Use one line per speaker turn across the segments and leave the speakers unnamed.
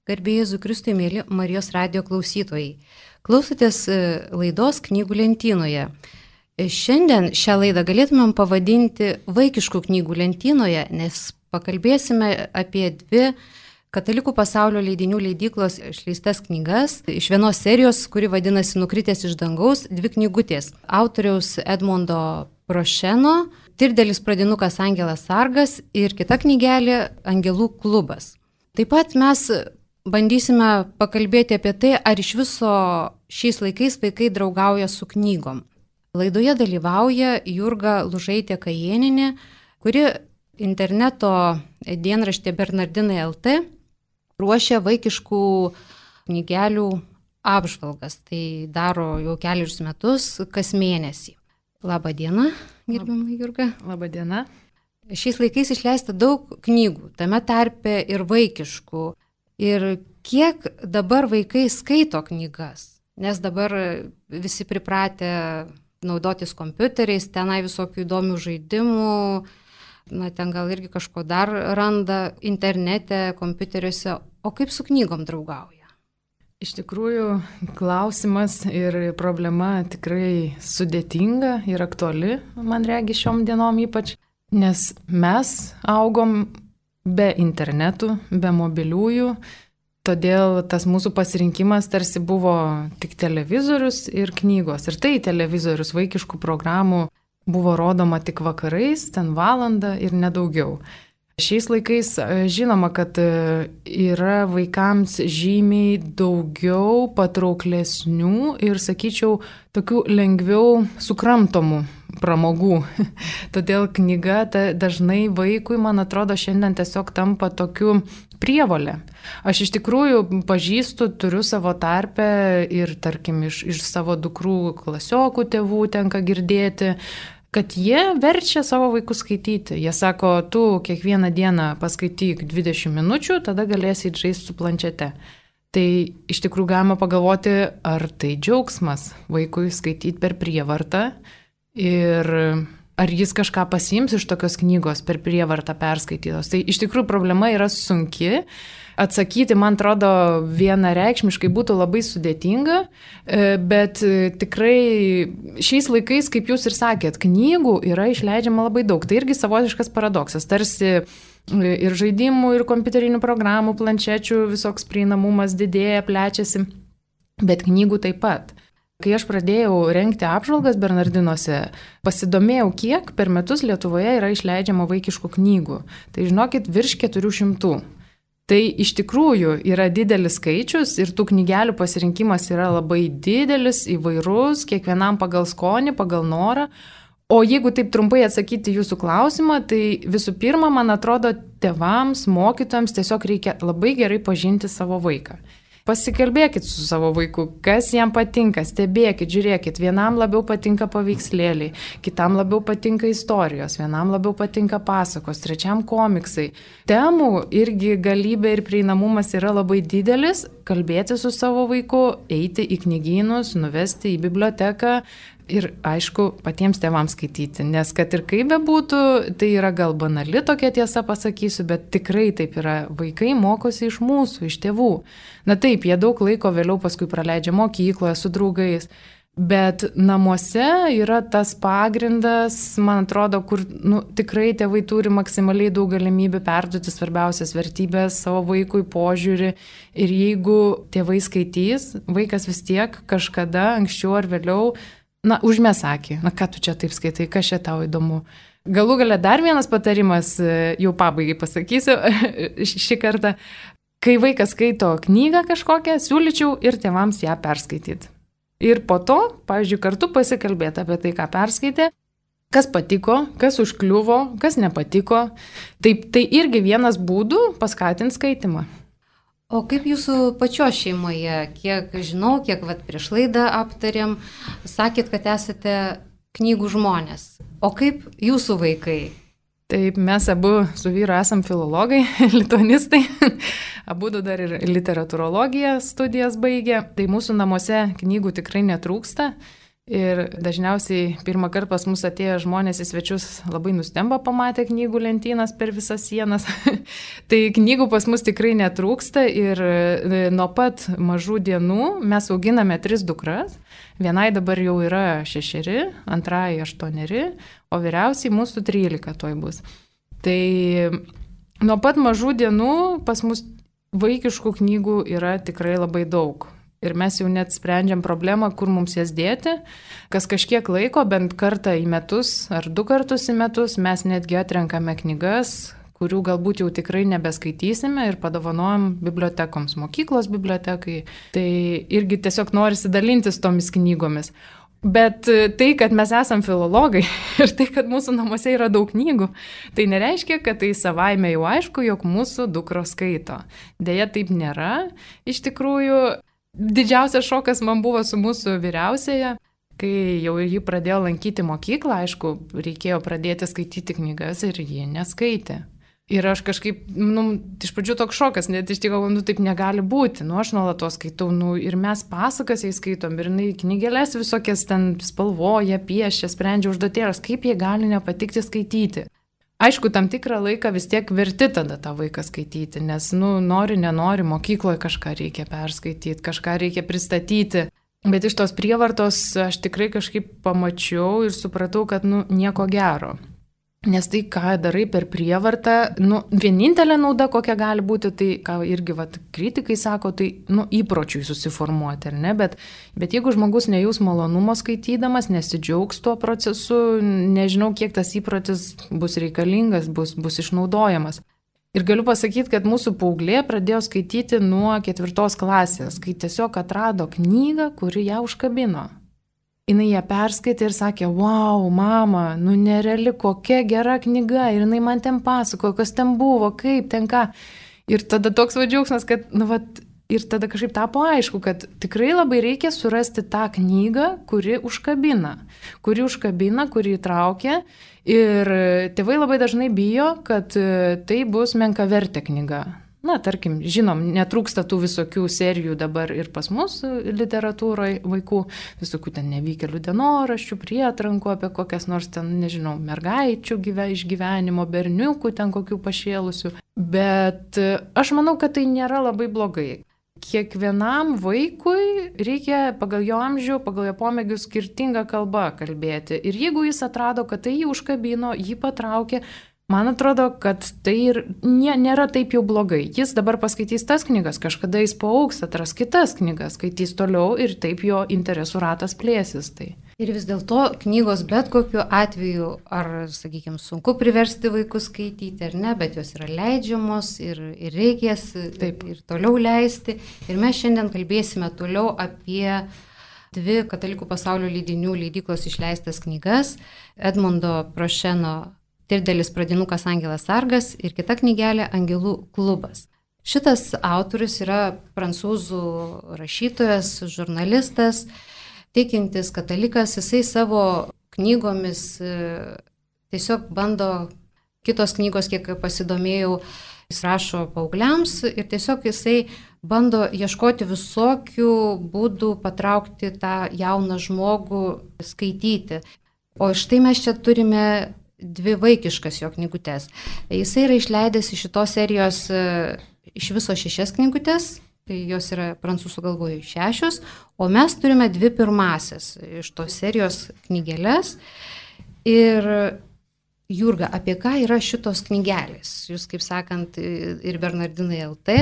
Garbė Jėzui Kristui, mėly Marijos radijo klausytojai. Klausotės laidos Knygų lentynoje. Šiandien šią laidą galėtumėm pavadinti Vaikiškų knygų lentynoje, nes pakalbėsime apie dvi Katalikų pasaulio leidinių leidyklos išleistas knygas iš vienos serijos, kuri vadinasi Nukritęs iš dangaus, dvi knygutės. Autoriaus Edmondo Prošeno, Tirdelis pradinukas Angelas Sargas ir kita knygelė Angelų klubas. Taip pat mes bandysime pakalbėti apie tai, ar iš viso šiais laikais vaikai draugauja su knygom. Laidoje dalyvauja Jurga Lužaitė Kajėninė, kuri interneto dienraštė Bernardinai LT ruošia vaikiškų knygelių apžvalgas. Tai daro jau kelius metus, kas mėnesį. Labą dieną, gerbiama Jurga.
Labą dieną.
Šiais laikais išleista daug knygų, tame tarpe ir vaikiškų. Ir kiek dabar vaikai skaito knygas, nes dabar visi pripratę naudotis kompiuteriais, tenai visokių įdomių žaidimų, ten gal irgi kažko dar randa internete, kompiuteriuose, o kaip su knygom draugauja?
Iš tikrųjų, klausimas ir problema tikrai sudėtinga ir aktuali, man regi šiom dienom ypač, nes mes augom be internetų, be mobiliųjų, todėl tas mūsų pasirinkimas tarsi buvo tik televizorius ir knygos. Ir tai televizorius vaikiškų programų buvo rodoma tik vakarais, ten valandą ir nedaugiau. Šiais laikais žinoma, kad yra vaikams žymiai daugiau patrauklesnių ir, sakyčiau, tokių lengviau sukramtomų pramogų. Todėl knyga dažnai vaikui, man atrodo, šiandien tiesiog tampa tokiu prievolė. Aš iš tikrųjų pažįstu, turiu savo tarpę ir, tarkim, iš savo dukrų klasiokų tėvų tenka girdėti, kad jie verčia savo vaikus skaityti. Jie sako, tu kiekvieną dieną paskaityk 20 minučių, tada galėsi žaisti su planšete. Tai iš tikrųjų galima pagalvoti, ar tai džiaugsmas vaikui skaityti per prievartą ir ar jis kažką pasiims iš tokios knygos per prievartą perskaitytos. Tai iš tikrųjų problema yra sunki. Atsakyti, man atrodo, vienareikšmiškai būtų labai sudėtinga, bet tikrai šiais laikais, kaip jūs ir sakėt, knygų yra išleidžiama labai daug. Tai irgi savotiškas paradoksas. Tarsi ir žaidimų, ir kompiuterinių programų, planšečių visoks prieinamumas didėja, plečiasi, bet knygų taip pat. Kai aš pradėjau rengti apžvalgas Bernardinuose, pasidomėjau, kiek per metus Lietuvoje yra išleidžiama vaikiškų knygų. Tai žinokit, virš 400. Tai iš tikrųjų yra didelis skaičius ir tų knygelių pasirinkimas yra labai didelis, įvairus, kiekvienam pagal skonį, pagal norą. O jeigu taip trumpai atsakyti jūsų klausimą, tai visų pirma, man atrodo, tėvams, mokytojams tiesiog reikia labai gerai pažinti savo vaiką. Pasikalbėkit su savo vaiku, kas jam patinka, stebėkit, žiūrėkit, vienam labiau patinka paveikslėliai, kitam labiau patinka istorijos, vienam labiau patinka pasakos, trečiam komiksai. Temų irgi galybė ir prieinamumas yra labai didelis, kalbėti su savo vaiku, eiti į knygynus, nuvesti į biblioteką. Ir aišku, patiems tėvams skaityti, nes kad ir kaip bebūtų, tai yra gal banali tokia tiesa pasakysiu, bet tikrai taip yra. Vaikai mokosi iš mūsų, iš tėvų. Na taip, jie daug laiko vėliau paskui praleidžia mokykloje su draugais, bet namuose yra tas pagrindas, man atrodo, kur tikrai tėvai turi maksimaliai daug galimybių perduoti svarbiausias vertybės savo vaikui, požiūrį. Ir jeigu tėvai skaitys, vaikas vis tiek kažkada, anksčiau ar vėliau, užmes akį, ką tu čia taip skaitai, kas čia tau įdomu. Galų gale dar vienas patarimas, jau pabaigai pasakysiu šį kartą. Kai vaikas skaito knygą kažkokią, siūlyčiau ir tėvams ją perskaityti. Ir po to, pavyzdžiui, kartu pasikalbėti apie tai, ką perskaitė, kas patiko, kas užkliuvo, kas nepatiko. Taip, tai irgi vienas būdų paskatinti skaitimą.
O kaip jūsų pačios šeimoje, kiek žinau, kiek prieš laidą aptarėm, sakėt, kad esate knygų žmonės. O kaip jūsų vaikai?
Taip, mes abu su vyru esam filologai, lituanistai, abu dar ir literatūrologiją studijas baigė. Tai mūsų namuose knygų tikrai netrūksta. Ir dažniausiai pirmą kartą pas mus atėję žmonės į svečius labai nustemba pamatę knygų lentynas per visas sienas. Tai knygų pas mus tikrai netrūksta ir nuo pat mažų dienų mes auginame 3 dukras. Vienai dabar jau yra 6, antrai 8, o vyriausiai mūsų 13 toj bus. Tai nuo pat mažų dienų pas mus vaikiškų knygų yra tikrai labai daug. Ir mes jau net sprendžiam problemą, kur mums jas dėti. Kas kažkiek laiko, bent kartą į metus ar 2 kartus į metus, mes netgi atrenkame knygas, kurių galbūt jau tikrai nebeskaitysime ir padovanojam bibliotekoms, mokyklos bibliotekai. Tai irgi tiesiog norisi dalintis tomis knygomis. Bet tai, kad mes esam filologai ir tai, kad mūsų namuose yra daug knygų, tai nereiškia, kad tai savaime jau aišku, jog mūsų dukros skaito. Deja, taip nėra. Iš tikrųjų, didžiausias šokas man buvo su mūsų vyriausiaja, kai jau ji pradėjo lankyti mokyklą, aišku, reikėjo pradėti skaityti knygas ir ji neskaitė. Ir aš kažkaip, iš pradžių toks šokas, net iš tikrųjų, taip negali būti, aš nuolatos skaitau, ir mes pasakas jai skaitom, ir knygelės visokias ten spalvoja, piešia, sprendžia užduotėlės, kaip jie gali nepatikti skaityti. Aišku, tam tikrą laiką vis tiek verti tada tą vaiką skaityti, nes, nori, nenori, mokykloje kažką reikia perskaityti, kažką reikia pristatyti. Bet iš tos prievartos aš tikrai kažkaip pamačiau ir supratau, kad, nieko gero. Nes tai, ką darai per prievartą, vienintelė nauda, kokia gali būti, tai, ką irgi kritikai sako, tai, įpročiui susiformuoti, ar ne? Bet jeigu žmogus nejaus malonumo skaitydamas, nesidžiaugs tuo procesu, nežinau, kiek tas įprotis bus reikalingas, bus išnaudojamas. Ir galiu pasakyti, kad mūsų paauglė pradėjo skaityti nuo 4 klasės, kai tiesiog atrado knygą, kuri ją užkabino. Jis ją perskaitė ir sakė, wow, mama, nereali, kokia gera knyga. Ir jinai man ten pasakojo, kas ten buvo, kaip ten ką. Ir tada toks džiaugsmas, kad, ir tada kažkaip tapo aišku, kad tikrai labai reikia surasti tą knygą, kuri užkabina, kuri įtraukia. Ir tėvai labai dažnai bijo, kad tai bus menkavertė knyga. Tarkim, žinom, netrūksta tų visokių serijų dabar ir pas mus literatūroje vaikų, visokių ten nevykėlių dienoraščių, prietrankų apie kokias nors ten, nežinau, mergaičių išgyvenimo, berniukų ten kokių pašėlusių. Bet aš manau, kad tai nėra labai blogai. Kiekvienam vaikui reikia pagal jo amžių, pagal jo pomėgių skirtingą kalbą kalbėti. Ir jeigu jis atrado, kad tai jį užkabino, jį patraukė, man atrodo, kad tai ir nėra taip jau blogai. Jis dabar paskaitys tas knygas, kažkada jis paaugs, atras kitas knygas, skaitys toliau ir taip jo interesų ratas plėsis. Tai.
Ir vis dėlto knygos bet kokiu atveju, ar, sakykime, sunku priversti vaikus skaityti ar ne, bet jos yra leidžiamos ir reikės ir toliau leisti. Ir mes šiandien kalbėsime toliau apie 2 katalikų pasaulio leidinių leidyklos išleistas knygas Edmundo Prošeno Tirdelis pradinukas Angelas Sargas ir kita knygelė Angelų klubas. Šitas autorius yra prancūzų rašytojas, žurnalistas, tikintis katalikas. Jisai savo knygomis tiesiog bando, kitos knygos, kiek pasidomėjau, jis rašo paaugliams ir tiesiog jisai bando ieškoti visokių būdų patraukti tą jauną žmogų skaityti. O štai mes čia turime 2 vaikiškas jo knygutes. Jisai yra išleidęs iš šitos serijos iš viso 6 knygutes, tai jos yra prancūzų kalboje 6, o mes turime 2 pirmasias iš tos serijos knygelės. Ir Jurga, apie ką yra šitos knygelės? Jūs, kaip sakant, ir Bernardinai LT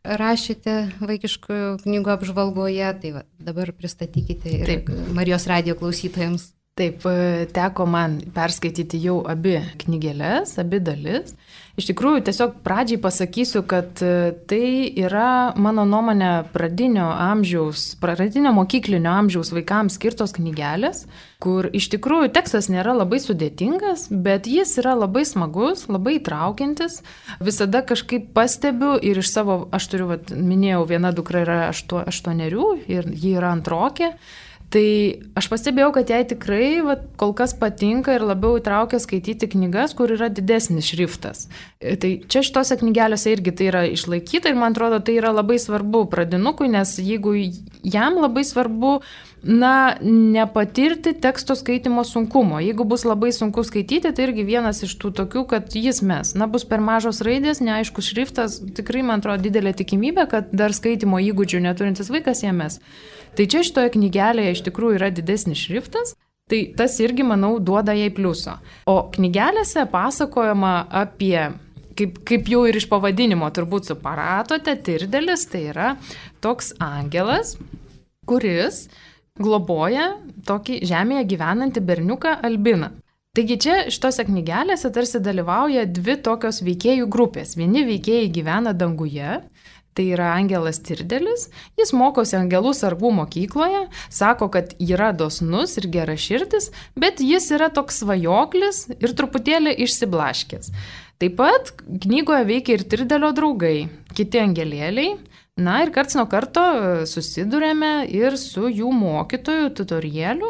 rašėte vaikiškų knygų apžvalgoje, tai dabar pristatykite ir Marijos radijo klausytojams.
Taip, teko man perskaityti jau abi knygelės, abi dalis. Iš tikrųjų, tiesiog pradžiai pasakysiu, kad tai yra, mano nuomonė, pradinio mokyklinio amžiaus vaikams skirtos knygelės, kur iš tikrųjų tekstas nėra labai sudėtingas, bet jis yra labai smagus, labai įtraukiantis. Visada kažkaip pastebiu ir iš savo, aš turiu, minėjau, viena dukra yra 8 ir ji yra antrokė. Tai aš pastebėjau, kad jai tikrai kol kas patinka ir labiau įtraukia skaityti knygas, kur yra didesnis šriftas. Tai čia šitose knygelėse irgi tai yra išlaikyta ir man atrodo, tai yra labai svarbu pradinukui, nes jeigu jam labai svarbu, nepatirti teksto skaitimo sunkumo. Jeigu bus labai sunku skaityti, tai irgi vienas iš tų tokių, kad jis mes. Bus per mažos raidės, neaiškus šriftas, tikrai, man atrodo, didelė tikimybė, kad dar skaitimo įgūdžių neturintis vaikas ją mes. Tai čia šitoje knygelėje iš tikrųjų yra didesnis šriftas, tai tas irgi, manau, duoda jai pliuso. O knygelėse pasakojama apie, kaip jau ir iš pavadinimo turbūt supratote, Tirdelis tai yra toks angelas, kuris globoja tokį žemėje gyvenantį berniuką Albiną. Taigi čia šitose knygelėse tarsi dalyvauja dvi tokios veikėjų grupės. Vieni veikėjai gyvena danguje, tai yra angelas Tirdelis, jis mokosi angelų sargų mokykloje, sako, kad yra dosnus ir geraširdis, bet jis yra toks svajoklis ir truputėlį išsiblaškęs. Taip pat knygoje veikia ir Tirdelio draugai, kiti angelėliai. Ir karts nuo karto susidurėme ir su jų mokytojų tutorieliu,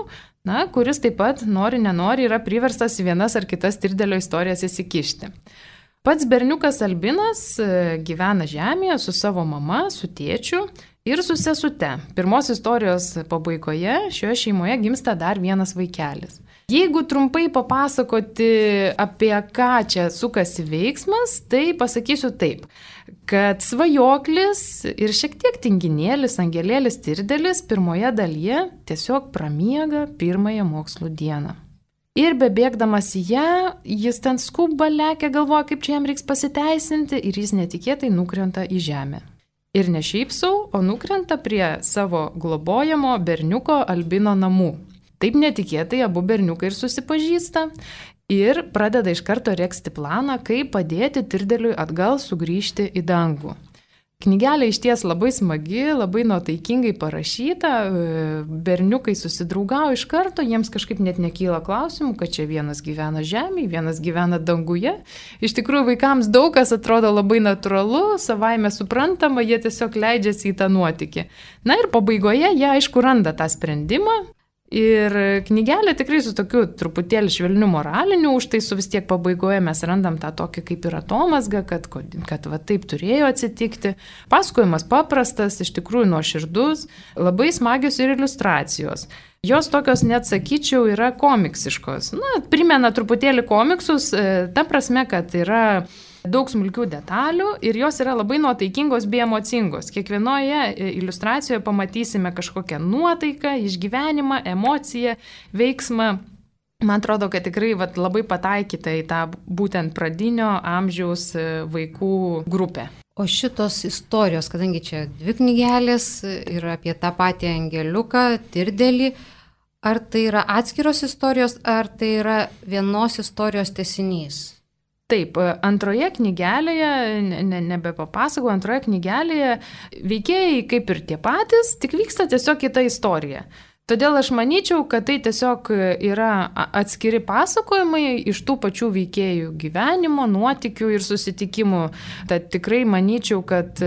kuris taip pat nori yra priverstas į vienas ar kitas Tirdelio istorijas įsikišti. Pats berniukas Albinas gyvena žemėje su savo mama, su tėčiu ir su sesute. Pirmos istorijos pabaigoje šioje šeimoje gimsta dar vienas vaikelis. Jeigu trumpai papasakoti, apie ką čia sukasi veiksmas, tai pasakysiu taip, kad svajoklis ir šiek tiek tinginėlis, angelėlis Tirdelis pirmoje dalyje tiesiog pramiega pirmąją mokslų dieną. Ir bebėgdamas į ją, jis ten skuba, lekia, galvoja, kaip čia jam reiks pasiteisinti ir jis netikėtai nukrenta į žemę. Ir ne šiaip sau, o nukrenta prie savo globojamo berniuko Albino namų. Taip netikėtai abu berniukai ir susipažįsta ir pradeda iš karto regzti planą, kaip padėti Tirdeliui atgal sugrįžti į dangų. Knygelė išties labai smagi, labai nuotaikingai parašyta, berniukai susidraugavo iš karto, jiems kažkaip net nekyla klausimų, kad čia vienas gyvena žemėje, vienas gyvena danguje. Iš tikrųjų, vaikams daug kas atrodo labai natūralu, savaime suprantama, jie tiesiog leidžiasi į tą nuotykį. Ir pabaigoje jie aišku randa tą sprendimą. Ir knygelė tikrai su tokiu truputėlį švelniu moraliniu, už tai su vis tiek pabaigoje mes randam tą tokį kaip ir atomazgą, kad va taip turėjo atsitikti. Pasakojimas paprastas, iš tikrųjų nuoširdus, labai smagios ir iliustracijos. Jos tokios, net sakyčiau, yra komiksiškos. Primena truputėlį komiksus, ta prasme, kad yra daug smulkių detalių ir jos yra labai nuotaikingos bei emocingos. Kiekvienoje iliustracijoje pamatysime kažkokią nuotaiką, išgyvenimą, emociją, veiksmą. Man atrodo, kad tikrai labai pataikyta į tą būtent pradinio amžiaus vaikų grupę.
O šitos istorijos, kadangi čia dvi knygelės ir apie tą patį angeliuką, Tirdelį, ar tai yra atskiros istorijos, ar tai yra vienos istorijos tęsinys?
Taip, antroje knygelėje, nebepapasakau, antroje knygelėje veikėjai kaip ir tie patys, tik vyksta tiesiog kita istorija. Todėl aš manyčiau, kad tai tiesiog yra atskiri pasakojimai iš tų pačių veikėjų gyvenimo, nuotykių ir susitikimų. Tad tikrai manyčiau, kad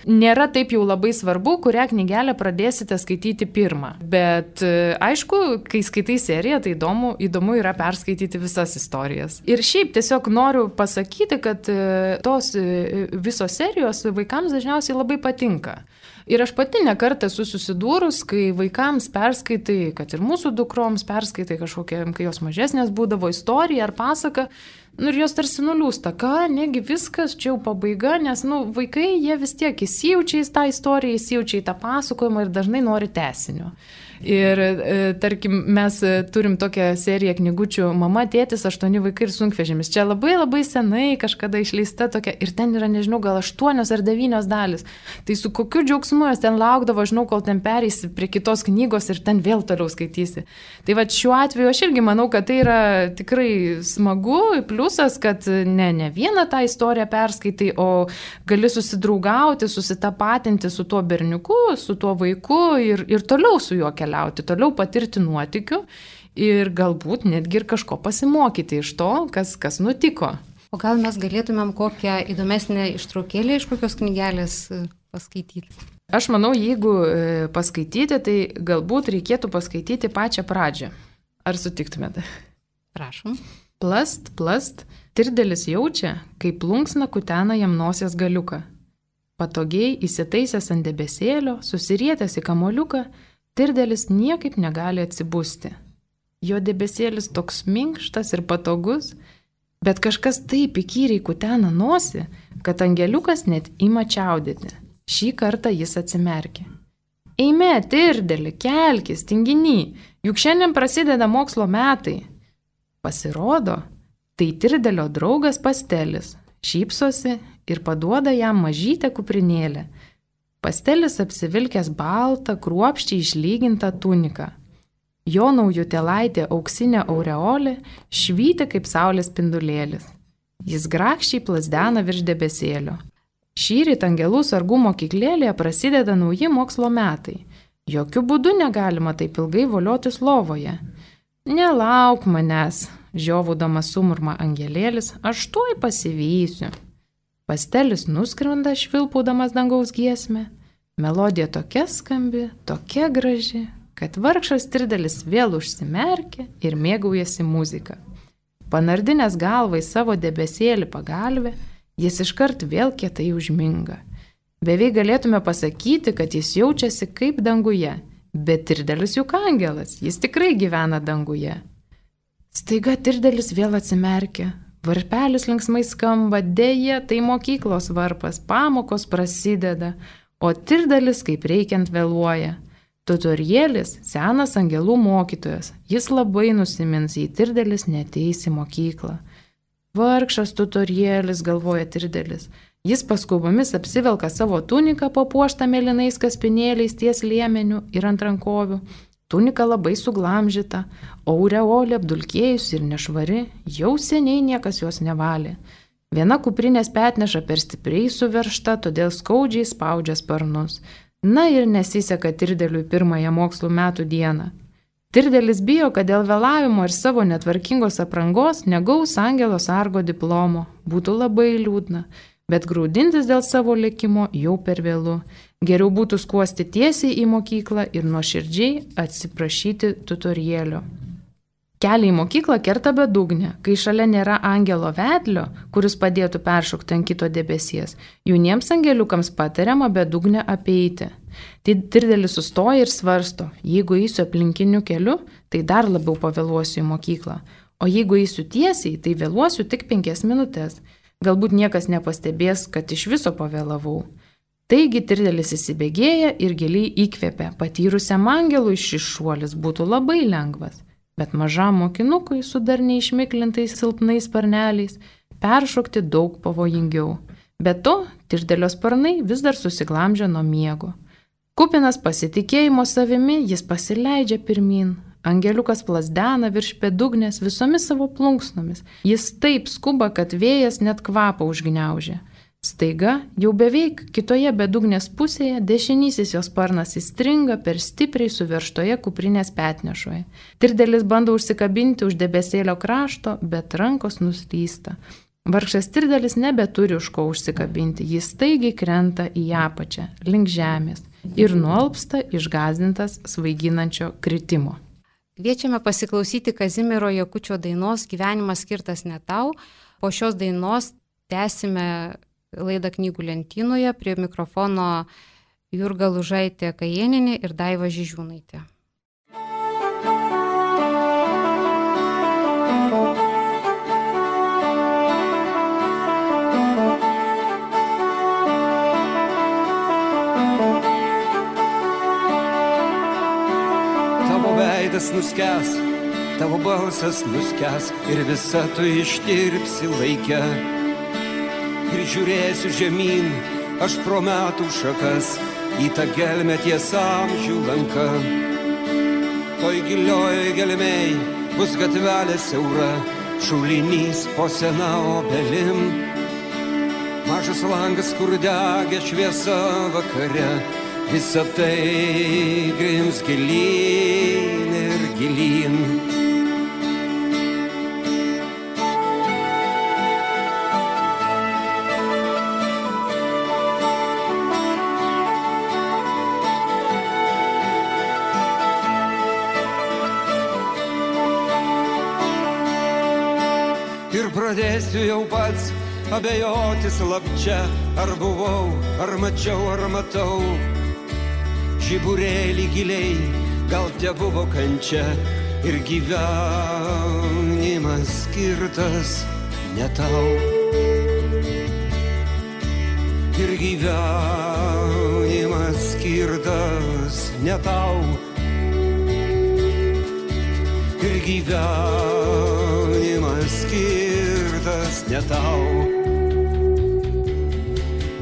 nėra taip jau labai svarbu, kurią knygelę pradėsite skaityti pirmą. Bet aišku, kai skaitai seriją, tai įdomu yra perskaityti visas istorijas. Ir šiaip tiesiog noriu pasakyti, kad tos visos serijos vaikams dažniausiai labai patinka. Ir aš pati nekartą esu susidūrus, kai vaikams perskaitai, kad ir mūsų dukroms perskaitai kažkokią, kai jos mažesnės būdavo istoriją ar pasaką, ir jos tarsi nuliūsta, negi viskas, čia jau pabaiga, nes vaikai jie vis tiek įsijaučia į tą istoriją, įsijaučia į tą pasakojimą ir dažnai nori tęsinio. Ir tarkim, mes turim tokią seriją knygučių Mama, tėtis, 8 vaikai ir sunkvežimis. Čia labai labai senai kažkada išleista tokia ir ten yra, nežinau, gal 8 ar 9 dalis. Tai su kokiu džiaugsmu jos ten laukdavo, žinau, kol ten pereisi prie kitos knygos ir ten vėl toliau skaitysi. Tai va šiuo atveju aš irgi manau, kad tai yra tikrai smagu, pliusas, kad ne vieną tą istoriją perskaitai, o gali susidraugauti, susitapatinti su tuo berniuku, su tuo vaiku ir toliau su juo keliauti, toliau patirti nuotykių ir galbūt netgi ir kažko pasimokyti iš to, kas nutiko.
O gal mes galėtumėm kokią įdomesnę ištraukėlę iš kokios knygelės paskaityti?
Aš manau, jeigu paskaityti, tai galbūt reikėtų paskaityti pačią pradžią. Ar sutiktumėte?
Prašom.
Plast, Tirdelis jaučia, kaip plunksna kutena jam nosies galiuką. Patogiai įsitaisęs ant debesėlio, susirietęs į kamuoliuką, Tirdelis niekaip negali atsibusti. Jo debesėlis toks minkštas ir patogus, bet kažkas taip įkyriai kutena nosį, kad angeliukas net ima čiaudėti. Šį kartą jis atsimerkė. Eime, Tirdeli, kelkis, tinginy, juk šiandien prasideda mokslo metai. Pasirodo, tai Tirdelio draugas Pastelis, šypsosi ir paduoda jam mažytę kuprinėlę. Pastelis apsivilkęs baltą, kruopščiai išlygintą tuniką. Jo naujutėlaitė auksinė aureolė švyti kaip saulės spindulėlis. Jis grakščiai plazdena virš debesėlio. Šįryt angelų sargų mokyklėlėje prasideda nauji mokslo metai. Jokių būdų negalima taip ilgai voliotis lovoje. Nelauk manęs, žiovaudamas sumurma angelėlis, aš tuoj pasivysiu. Pastelis nuskrenda švilpaudamas dangaus giesmę. Melodija tokia skambi, tokia graži, kad vargšas Tirdelis vėl užsimerkė ir mėgaujasi muziką. Panardinęs galvą į savo debesėlį pagalvę, jis iškart vėl kietai užminga. Beveik galėtume pasakyti, kad jis jaučiasi kaip danguje, bet Tirdelis juk angelas, jis tikrai gyvena danguje. Staiga Tirdelis vėl atsimerkia. Varpelis linksmai skamba, dėja, tai mokyklos varpas, pamokos prasideda, o Tirdelis kaip reikiant vėluoja. Tutorielis senas angelų mokytojas, jis labai nusimins, jei Tirdelis neateis į mokyklą. Vargšas tutorielis, galvoja Tirdelis. Jis paskubomis apsivelka savo tuniką papuoštą mėlynais kaspinėliais ties liemeniu ir ant rankovių. Tunika labai suglamžyta, aureolė apdulkėjus ir nešvari, jau seniai niekas jos nevalė. Viena kuprinės petneša per stipriai suveržta, todėl skaudžiai spaudžia sparnus. Na ir nesiseka Tirdeliui pirmąją mokslo metų dieną. Tirdelis bijo, kad dėl vėlavimo ir savo netvarkingos aprangos negaus angelo sargo diplomo. Būtų labai liūdna, bet graudintis dėl savo likimo jau per vėlu. Geriau būtų skuosti tiesiai į mokyklą ir nuoširdžiai atsiprašyti tutorielio. Kelią į mokyklą kerta bedugnė, kai šalia nėra angelo vedlio, kuris padėtų peršokti ant kito debesies. Jauniems angeliukams patariama bedugnę apeiti. Tai Tirdelis sustoja ir svarsto, jeigu eisiu aplinkiniu keliu, tai dar labiau pavėluosiu į mokyklą. O jeigu eisiu tiesiai, tai vėluosiu tik 5 minutės. Galbūt niekas nepastebės, kad iš viso pavėlavau. Taigi Tirdelis įsibėgėja ir giliai įkvėpia. Patyrusiam angelui šis šuolis būtų labai lengvas. Bet mažam mokinukui su dar neišmiklintais silpnais sparneliais peršokti daug pavojingiau. Be to, Tirdelio sparnai vis dar susiglamžia nuo miego. Kupinas pasitikėjimo savimi, jis pasileidžia pirmin. Angeliukas plazdena virš bedugnės visomis savo plunksnomis. Jis taip skuba, kad vėjas net kvapą užgniaužia. Staiga, jau beveik kitoje bedugnės pusėje, dešinysis jos sparnas įstringa per stipriai suveržtoje kuprinės petnešoje. Tirdelis bando užsikabinti už debesėlio krašto, bet rankos nuslysta. Vargšas Tirdelis nebeturi už ko užsikabinti, jis staigiai krenta į apačią, link žemės ir nualpsta išgąsdintas svaiginančio kritimo.
Kviečiame pasiklausyti Kazimiero Jakučio dainos Gyvenimas skirtas ne tau. Po šios dainos tęsime laidą Knygų lentynoje, prie mikrofono Jurga Lužaitė Kajėnienė ir Daiva Žižiūnaitė.
Tavo veidas nuskęs, tavo balsas nuskęs ir visa tu ištirpsi laike. Ir žiūrėsiu žemyn, aš pro metų šakas, į tą gelmę ties amžių lanka. Toj gilioj gelmėj bus gatvelė siaura, šulinys po sena obelim. Mažas langas, kur degė šviesa vakare, visa tai grims gilyn ir gilyn. Ir pradėsiu jau pats abejoti slapčia, ar buvau, ar mačiau, ar matau. Žiburėlį giliai, gal te buvo kančia ir gyvenimas skirtas ne tau. Ir gyvenimas skirtas ne tau. Ir gyvenimas skirtas ne tau.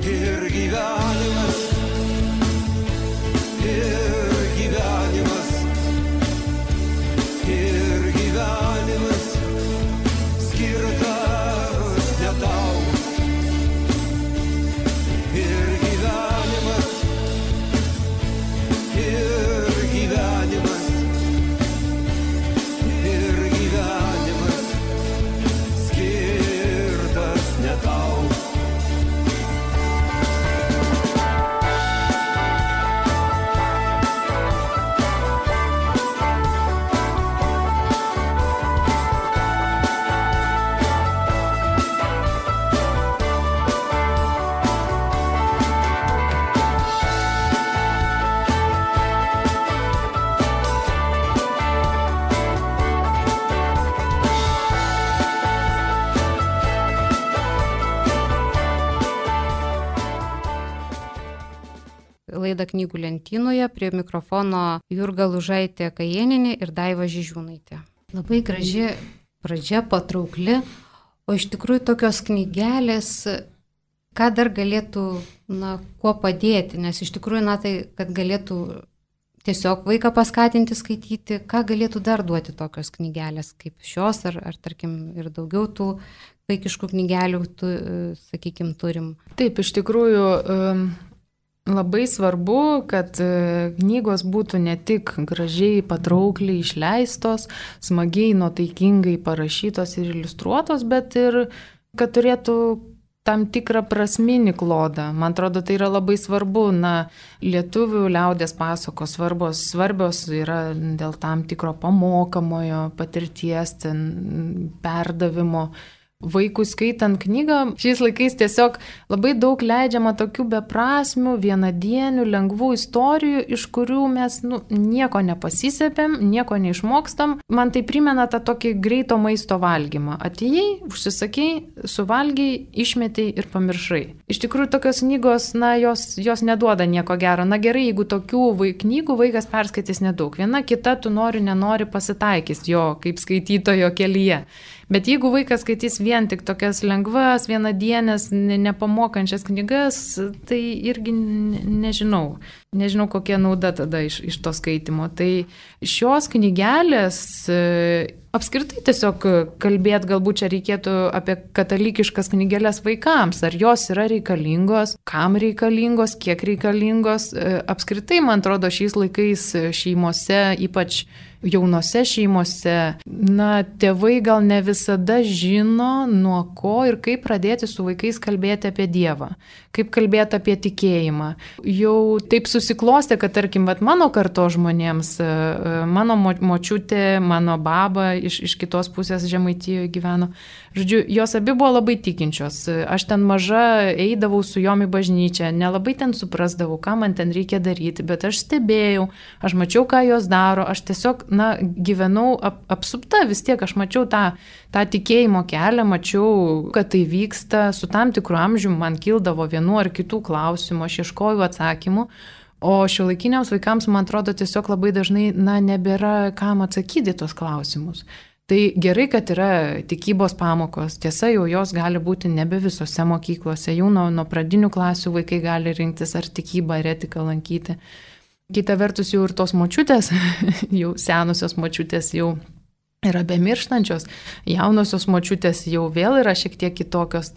Ir gyvenimas, ir gyvenimas, ir gyvenimas skirtas ne tau. Ir gyvenimas, ir gyvenimas, ir gyvenimas skirtas ne tau.
Laida Knygų lentynoje, prie mikrofono Jurga Lužaitė Kajėnienė ir Daiva Žižiūnaitė. Labai graži pradžia, patraukli, o iš tikrųjų tokios knygelės, ką dar galėtų, kuo padėti, nes iš tikrųjų, tai kad galėtų tiesiog vaiką paskatinti skaityti, ką galėtų dar duoti tokios knygelės kaip šios, ar tarkim ir daugiau tų vaikiškų knygelių, sakykim, turim.
Taip, iš tikrųjų, labai svarbu, kad knygos būtų ne tik gražiai, patraukliai išleistos, smagiai, nuotaikingai parašytos ir iliustruotos, bet ir kad turėtų tam tikrą prasminį klodą. Man atrodo, tai yra labai svarbu. Lietuvių liaudės pasakos svarbios yra dėl tam tikro pamokamojo patirties, perdavimo. Vaikui skaitant knygą, šiais laikais tiesiog labai daug leidžiama tokių beprasmių, vienadienių, lengvų istorijų, iš kurių mes nieko nepasisėpėm, nieko neišmokstam. Man tai primena tą tokį greito maisto valgymą. Atėjai, užsisakei, suvalgiai, išmetei ir pamiršai. Iš tikrųjų, tokios knygos, jos neduoda nieko gero. Gerai, jeigu tokių knygų vaikas perskaitys nedaug. Viena kita, tu nenori pasitaikys jo kaip skaitytojo kelyje. Bet jeigu vaikas skaitys vien tik tokias lengvas, vienadienės, nepamokančias knygas, tai irgi nežinau, kokia nauda tada iš to skaitimo. Tai šios knygelės, apskritai tiesiog kalbėti, galbūt čia reikėtų apie katalikiškas knygelės vaikams, ar jos yra reikalingos, kam reikalingos, kiek reikalingos. Apskritai, man atrodo, šiais laikais šeimose, ypač jaunose šeimose, tėvai gal ne visada žino, nuo ko ir kaip pradėti su vaikais kalbėti apie Dievą, kaip kalbėti apie tikėjimą. Jau taip susiklostė, kad tarkim, mano karto žmonėms, mano močiutė, mano baba iš kitos pusės Žemaitijoje gyveno. Žodžiu, jos abi buvo labai tikinčios. Aš ten maža eidavau su jom į bažnyčią, nelabai ten suprasdavau, ką man ten reikia daryti, bet aš stebėjau, aš mačiau, ką jos daro, aš tiesiog, gyvenau apsupta, vis tiek aš mačiau tą tikėjimo kelią, mačiau, kad tai vyksta, su tam tikru amžiumi man kildavo vienų ar kitų klausimų, aš ieškojau atsakymų, o šiuolaikiniams vaikams, man atrodo, tiesiog labai dažnai, nebėra kam atsakyti tos klausimus. Tai gerai, kad yra tikybos pamokos, tiesa, jau jos gali būti nebe visose mokyklose, jau nuo pradinių klasių vaikai gali rinktis ar tikybą, ar etiką lankyti. Kita vertus jau ir tos močiutės, jau senusios močiutės jau yra bemirštančios, jaunosios močiutės jau vėl yra šiek tiek kitokios,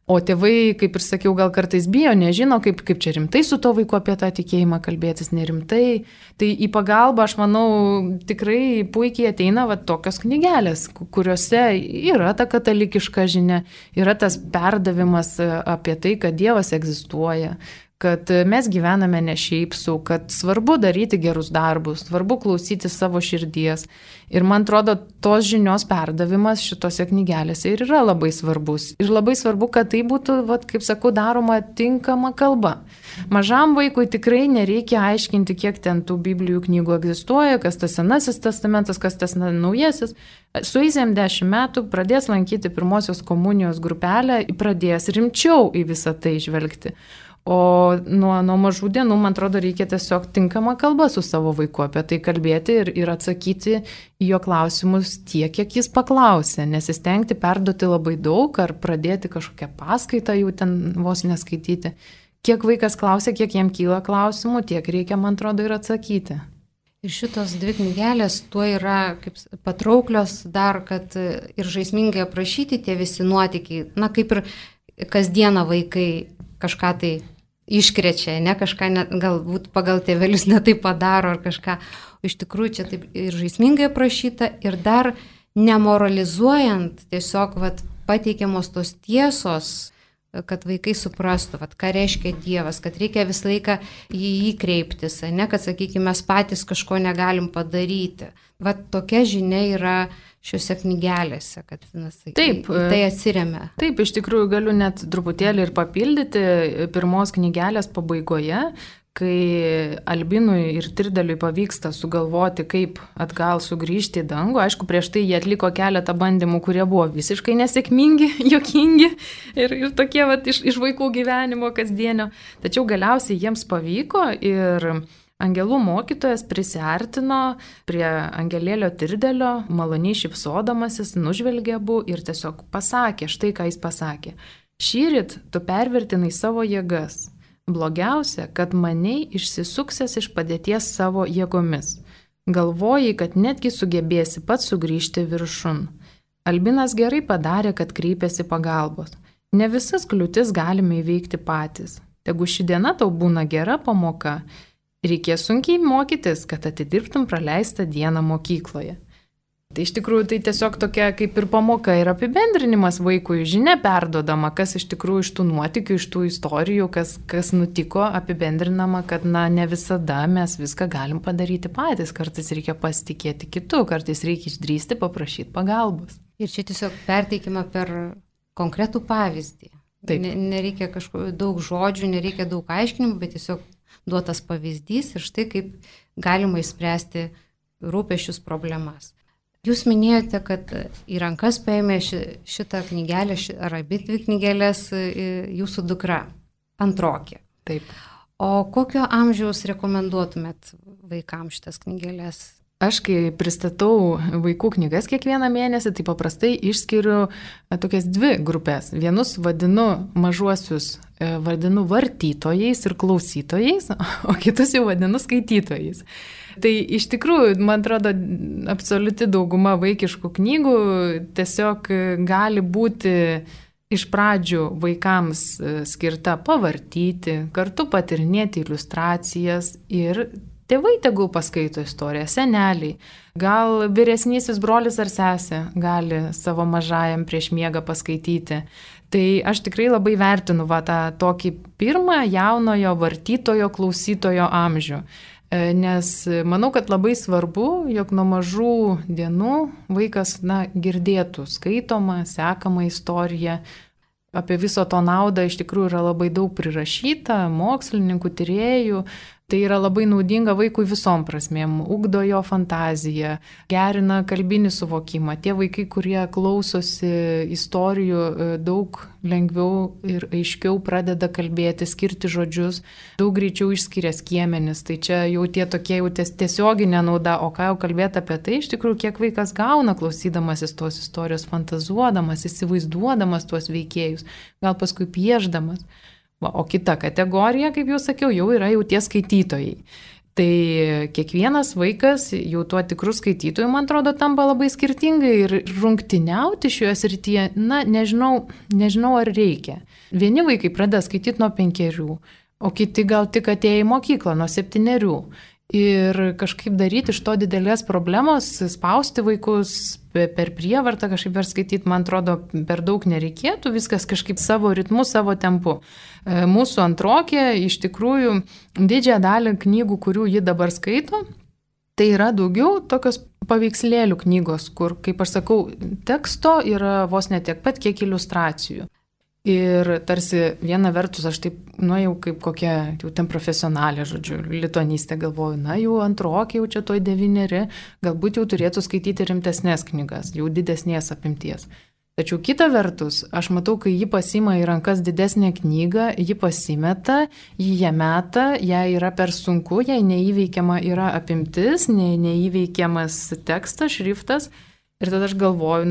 o tėvai, kaip ir sakiau, gal kartais bijo, nežino, kaip čia rimtai su to vaiku apie tą tikėjimą kalbėtis, nerimtai. Tai į pagalbą, aš manau, tikrai puikiai ateina tokios knygelės, kuriuose yra ta katalikiška žinia, yra tas perdavimas apie tai, kad Dievas egzistuoja, kad mes gyvename ne šiaip sau, kad svarbu daryti gerus darbus, svarbu klausyti savo širdies. Ir man atrodo, tos žinios perdavimas šitose knygelėse ir yra labai svarbus. Ir labai svarbu, kad tai būtų, kaip sakau, daroma tinkama kalba. Mažam vaikui tikrai nereikia aiškinti, kiek ten tų Biblijų knygų egzistuoja, kas tas Senasis testamentas, kas tas Naujasis. Sueisėm 10 metų, pradės lankyti pirmosios komunijos grupelę, pradės rimčiau į visą tai žvelgti. O nuo mažų dienų, man atrodo, reikia tiesiog tinkamą kalbą su savo vaiku apie tai kalbėti ir atsakyti į jo klausimus tiek, kiek jis paklausė, nesistengti perduoti labai daug ar pradėti kažkokią paskaitą jau ten vos neskaityti. Kiek vaikas klausia, kiek jam kyla klausimų, tiek reikia, man atrodo, ir atsakyti.
Ir šitos 2 knygelės tuo yra kaip patrauklios dar, kad ir žaismingai aprašyti tie visi nuotykiai, kaip ir kasdieną vaikai kažką tai iškrečia, ne kažką, galbūt pagal tėvelius netai padaro ar kažką. O iš tikrųjų čia taip ir žaismingai aprašyta ir dar nemoralizuojant, tiesiog pateikiamos tos tiesos, kad vaikai suprastų, ką reiškia Dievas, kad reikia visą laiką į jį kreiptis, ne, kad, sakykime, mes patys kažko negalim padaryti. Tokia žinia yra šiuose knygelėse, kad
taip,
tai atsiremia.
Taip, iš tikrųjų galiu net truputėlį ir papildyti pirmos knygelės pabaigoje, kai Albinui ir Tirdeliui pavyksta sugalvoti, kaip atgal sugrįžti į dangų. Aišku, prieš tai jie atliko keletą bandymų, kurie buvo visiškai nesėkmingi, juokingi ir tokie iš vaikų gyvenimo kasdienio. Tačiau galiausiai jiems pavyko ir angelų mokytojas prisiartino prie angelėlio Tirdelio, maloniai šypsodamasis, nužvelgė abu ir tiesiog pasakė, štai ką jis pasakė. Šįryt tu pervertinai savo jėgas. Blogiausia, kad maniai išsisuksęs iš padėties savo jėgomis. Galvojai, kad netgi sugebėsi pats sugrįžti viršun. Albinas gerai padarė, kad kreipėsi pagalbos. Ne visas kliūtis galime įveikti patys. Tegu ši diena tau būna gera pamoka. Reikės sunkiai mokytis, kad atidirbtum praleistą dieną mokykloje. Tai iš tikrųjų tai tiesiog tokia kaip ir pamoka ir apibendrinimas vaikui, žinia perduodama, kas iš tikrųjų iš tų nuotykių, iš tų istorijų, kas nutiko, apibendrinama, kad ne visada mes viską galim padaryti patys, kartais reikia pasitikėti kitu, kartais reikia išdrįsti paprašyti pagalbos.
Ir čia tiesiog perteikima per konkretų pavyzdį. Nereikia kažkokių daug žodžių, nereikia daug aiškinimų, bet tiesiog duotas pavyzdys ir štai kaip galima išspręsti rūpesčius problemas. Jūs minėjote, kad į rankas paėmė šitą knygelę, ar abi 2 knygelės jūsų dukra, antrokė.
Taip.
O kokio amžiaus rekomenduotumėt vaikams šitas knygelės?
Aš, kai pristatau vaikų knygas kiekvieną mėnesį, tai paprastai išskiriu tokias 2 grupės. Vienus mažuosius vadinu vartytojais ir klausytojais, o kitus jau vadinu skaitytojais. Tai iš tikrųjų, man atrodo, absoliuti dauguma vaikiškų knygų tiesiog gali būti iš pradžių vaikams skirta pavartyti, kartu patyrinėti iliustracijas ir tėvai tegul paskaito istoriją, seneliai. Gal vyresnysis brolis ar sesė gali savo mažajam prieš miegą paskaityti. Tai aš tikrai labai vertinu tą tokį pirmą jaunojo vartytojo, klausytojo amžių. Nes manau, kad labai svarbu, jog nuo mažų dienų vaikas girdėtų skaitomą, sekamą istoriją. Apie viso to naudą iš tikrųjų yra labai daug prirašyta, mokslininkų, tyrėjų. Tai yra labai naudinga vaikui visom prasmėm, ugdo jo fantaziją, gerina kalbinį suvokimą. Tie vaikai, kurie klausosi istorijų, daug lengviau ir aiškiau pradeda kalbėti, skirti žodžius, daug greičiau išskiria skiemenis. Tai čia jau tie tokie jau tiesioginė nauda, o ką jau kalbėti apie tai, iš tikrųjų, kiek vaikas gauna klausydamasis tos istorijos, fantazuodamas, įsivaizduodamas tuos veikėjus, gal paskui piešdamas. O kita kategorija, kaip jau sakiau, jau yra jau tie skaitytojai. Tai kiekvienas vaikas jau tuo tikrų skaitytojų, man atrodo, tampa labai skirtingai ir rungtyniauti šioje srityje, nežinau ar reikia. Vieni vaikai pradeda skaityti nuo 5, o kiti gal tik atėję į mokyklą nuo 7. Ir kažkaip daryti iš to didelės problemos, spausti vaikus per prievartą kažkaip perskaityti, man atrodo, per daug nereikėtų, viskas kažkaip savo ritmu, savo tempu. Mūsų antrokė iš tikrųjų didžiąją dalį knygų, kurių ji dabar skaito, tai yra daugiau tokios paveikslėlių knygos, kur, kaip aš sakau, teksto yra vos ne tiek pat, kiek iliustracijų. Ir tarsi viena vertus aš taip, jau kaip kokia, jau ten profesionalė, žodžiu, lituanistė galvoju, jau antrokė, jau čia toj 9, galbūt jau turėtų skaityti rimtesnės knygas, jau didesnės apimties. Tačiau kita vertus, aš matau, kai ji pasima į rankas didesnę knygą, ji pasimeta, ji ją meta, jai yra per sunku, jai neįveikiama yra apimtis, neįveikiamas tekstas, šriftas. Ir tada aš galvoju,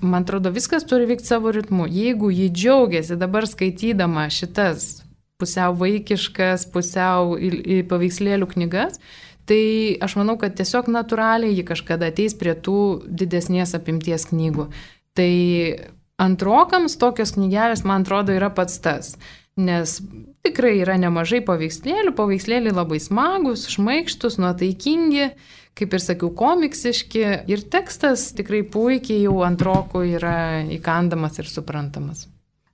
man atrodo, viskas turi vykti savo ritmu. Jeigu ji džiaugiasi dabar skaitydama šitas pusiau vaikiškas, pusiau paveikslėlių knygas, tai aš manau, kad tiesiog natūraliai ji kažkada ateis prie tų didesnės apimties knygų. Tai antrokams tokios knygelės, man atrodo, yra pats tas. Nes tikrai yra nemažai paveikslėlių, paveikslėliai labai smagus, šmaikštus, nuotaikingi, kaip ir sakiau, komiksiški ir tekstas tikrai puikiai jau antrokų yra įkandamas ir suprantamas.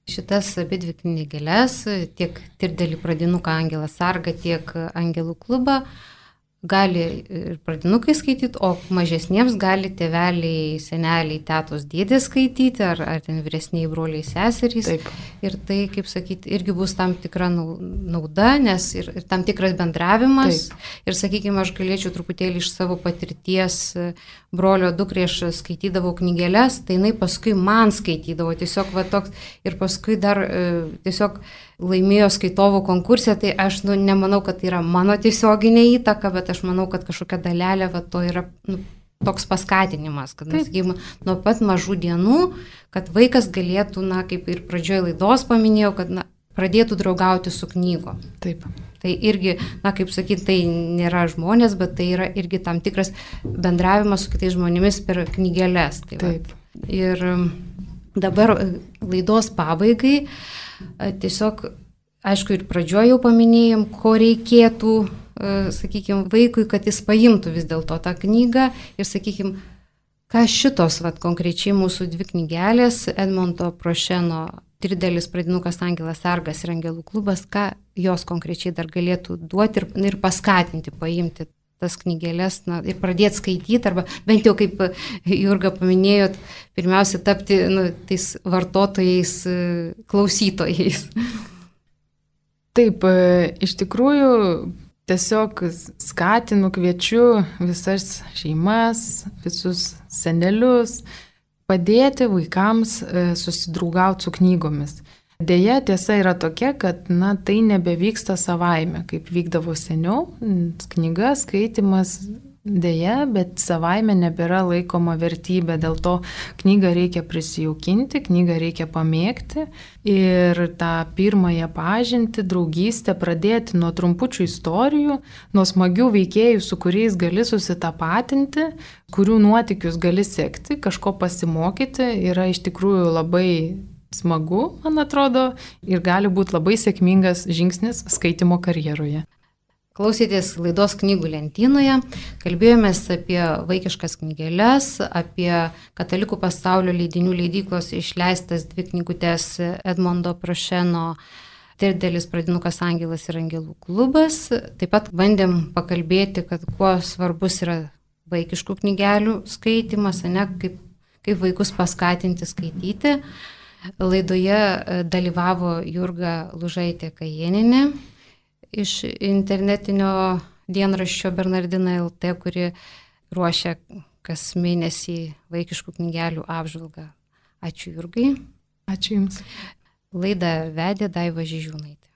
Šitas abidvi knygeles, tiek Tirdelį pradinuką Angelą Sargą, tiek Angelų klubą, gali ir pradinukai skaityti, o mažesniems gali tėveliai, seneliai, tetos, dėdės skaityti, ar ten vyresniai broliai, seserys.
Taip.
Ir tai, kaip sakyti, irgi bus tam tikra nauda, nes ir tam tikras bendravimas. Taip. Ir, sakykime, aš galėčiau truputėlį iš savo patirties brolio dukrai, aš skaitydavau knygeles, tai jinai paskui man skaitydavo, tiesiog va toks, ir paskui dar tiesiog laimėjo skaitovų konkursą, tai aš nemanau, kad tai yra mano tiesioginė įtaka, bet aš manau, kad kažkokia dalelė va, to yra toks paskatinimas, kad sakykime, nuo pat mažų dienų, kad vaikas galėtų, kaip ir pradžioje laidos paminėjau, kad pradėtų draugauti su knygom.
Taip.
Tai irgi, kaip sakyti, tai nėra žmonės, bet tai yra irgi tam tikras bendravimas su kitais žmonėmis per knygeles. Tai
taip.
Va. Ir dabar laidos pabaigai tiesiog, aišku, ir pradžioje jau paminėjom, ko reikėtų, sakykime, vaikui, kad jis paimtų vis dėlto tą knygą ir, sakykime, ką šitos konkrečiai mūsų 2 knygelės, Edmondo Prošeno Tirdelis pradinukas Angelas Sargas ir Angelų klubas, ką jos konkrečiai dar galėtų duoti ir paskatinti, paimti tas knygelės ir pradėti skaityti, arba bent jau, kaip Jurga paminėjot, pirmiausia tapti tais vartotojais, klausytojais.
Taip, iš tikrųjų, tiesiog skatinu, kviečiu visas šeimas, visus senelius, padėti vaikams susidraugauti su knygomis. Deja, tiesa yra tokia, kad tai nebevyksta savaime, kaip vykdavo seniau, knyga, skaitimas, deja, bet savaime nebėra laikoma vertybė, dėl to knygą reikia prisijaukinti, knygą reikia pamėgti ir tą pirmąją pažintį, draugystę pradėti nuo trumpučių istorijų, nuo smagių veikėjų, su kuriais gali susitapatinti, kurių nuotykius gali sekti, kažko pasimokyti, yra iš tikrųjų labai smagu, man atrodo, ir gali būti labai sėkmingas žingsnis skaitimo karjeroje.
Klausėtės laidos Knygų lentynoje, kalbėjomės apie vaikiškas knygeles, apie Katalikų pasaulio leidinių leidyklos išleistas 2 knygutes Edmondo Prošeno Tirdelis pradinukas Angelas ir Angelų klubas. Taip pat bandėm pakalbėti, kad kuo svarbus yra vaikiškų knygelių skaitimas, kaip vaikus paskatinti skaityti. Laidoje dalyvavo Jurga Lužaitė Kajėnienė iš internetinio dienraščio Bernardina LT, kuri ruošia kas mėnesį vaikiškų knygelių apžvalgą. Ačiū Jurgai.
Ačiū Jums.
Laidą vedė Daiva Žižiūnaitė.